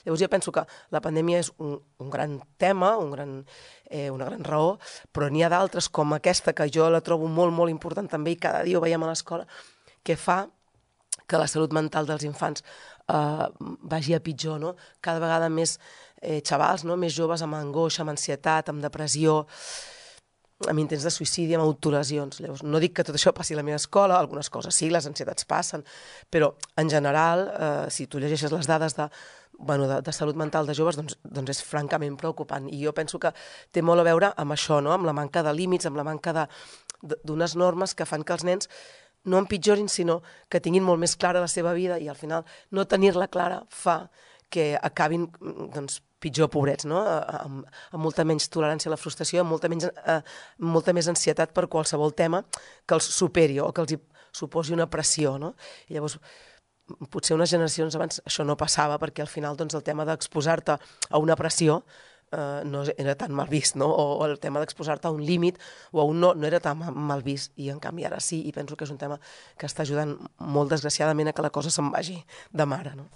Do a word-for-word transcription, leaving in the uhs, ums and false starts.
Llavors jo penso que la pandèmia és un, un gran tema, un gran, eh, una gran raó, però n'hi ha d'altres com aquesta, que jo la trobo molt, molt important també, i cada dia ho veiem a l'escola, que fa que la salut mental dels infants eh, vagi a pitjor, no? Cada vegada més eh, xavals, no? Més joves amb angoixa, amb ansietat, amb depressió, amb intents de suïcidi, amb autolesions. Llavors, no dic que tot això passi a la meva escola, algunes coses sí, les ansietats passen, però en general, eh, si tu llegeixes les dades de, bueno, de, de salut mental de joves, doncs, doncs és francament preocupant. I jo penso que té molt a veure amb això, no? Amb la manca de límits, amb la manca de, d'unes normes que fan que els nens no empitjorin, sinó que tinguin molt més clara la seva vida, i al final no tenir-la clara fa que acabin, doncs, pitjor pobrets, no? Amb, amb molta menys tolerància a la frustració, amb molta, menys, eh, molta més ansietat per qualsevol tema que els superi o que els hi suposi una pressió, no? I llavors, potser unes generacions abans això no passava, perquè al final doncs, el tema d'exposar-te a una pressió eh, no era tan mal vist, no? O el tema d'exposar-te a un límit o a un no, no era tan mal vist, i en canvi ara sí, i penso que és un tema que està ajudant molt desgraciadament a que la cosa se'n vagi de mare, no?